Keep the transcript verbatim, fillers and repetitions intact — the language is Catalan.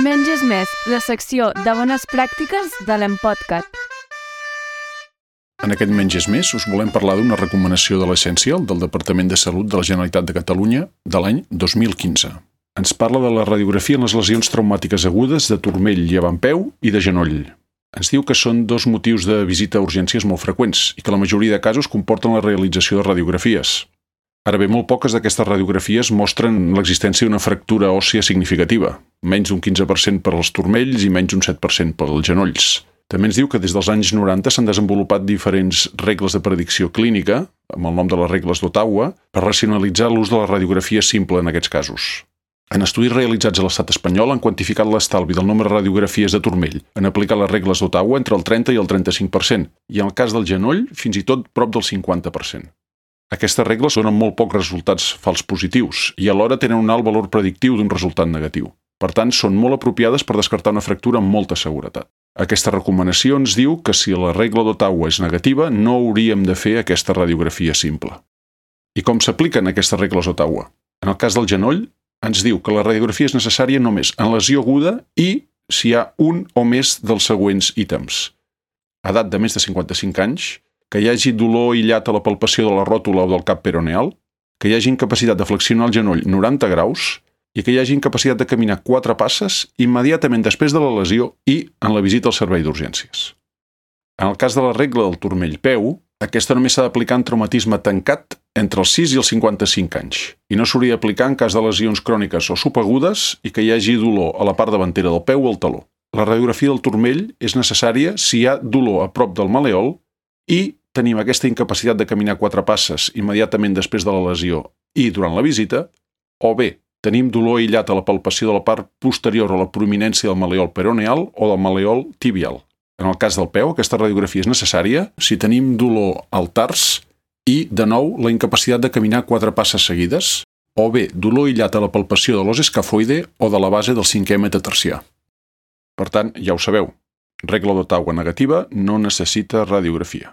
Menys és més, la secció de bones pràctiques de l'Empodcat. En aquest Menys és més us volem parlar d'una recomanació de l'Essencial del Departament de Salut de la Generalitat de Catalunya de l'any dos mil quinze. Ens parla de la radiografia en les lesions traumàtiques agudes de turmell i avantpeu i de genoll. Ens diu que són dos motius de visita a urgències molt freqüents i que la majoria de casos comporten la realització de radiografies. Ara bé, molt poques d'aquestes radiografies mostren l'existència d'una fractura òssia significativa, menys d'un quinze per cent per als turmells i menys d'un set per cent per als genolls. També ens diu que des dels anys noranta s'han desenvolupat diferents regles de predicció clínica, amb el nom de les regles d'Ottawa, per racionalitzar l'ús de la radiografia simple en aquests casos. En estudis realitzats a l'estat espanyol han quantificat l'estalvi del nombre de radiografies de turmell en aplicar les regles d'Ottawa entre el trenta i el trenta-cinc per cent, i en el cas del genoll fins i tot prop del cinquanta per cent. Aquestes regles donen molt pocs resultats fals positius i alhora tenen un alt valor predictiu d'un resultat negatiu. Per tant, són molt apropiades per descartar una fractura amb molta seguretat. Aquesta recomanació ens diu que si la regla d'Ottawa és negativa, no hauríem de fer aquesta radiografia simple. I com s'apliquen aquestes regles d'Ottawa? En el cas del genoll, ens diu que la radiografia és necessària només en lesió aguda i si hi ha un o més dels següents ítems. Edat de més de cinquanta-cinc anys, que hi hagi dolor aïllat a la palpació de la ròtula o del cap peroneal, que hi hagi incapacitat de flexionar el genoll noranta graus i que hi hagi incapacitat de caminar quatre passes immediatament després de la lesió i en la visita al servei d'urgències. En el cas de la regla del turmell-peu, aquesta només s'ha d'aplicar en traumatisme tancat entre els sis i els cinquanta-cinc anys i no s'hauria d'aplicar en cas de lesions cròniques o subagudes i que hi hagi dolor a la part davantera del peu o al taló. La radiografia del turmell és necessària si hi ha dolor a prop del malèol i tenim aquesta incapacitat de caminar quatre passes immediatament després de la lesió i durant la visita, o bé tenim dolor aïllat a la palpació de la part posterior a la prominència del malèol peroneal o del malèol tibial. En el cas del peu, aquesta radiografia és necessària si tenim dolor al tars i, de nou, la incapacitat de caminar quatre passes seguides, o bé dolor aïllat a la palpació de l'os escafoide o de la base del cinquè metatarsià. Per tant, ja ho sabeu, regla d'Ottawa negativa no necessita radiografia.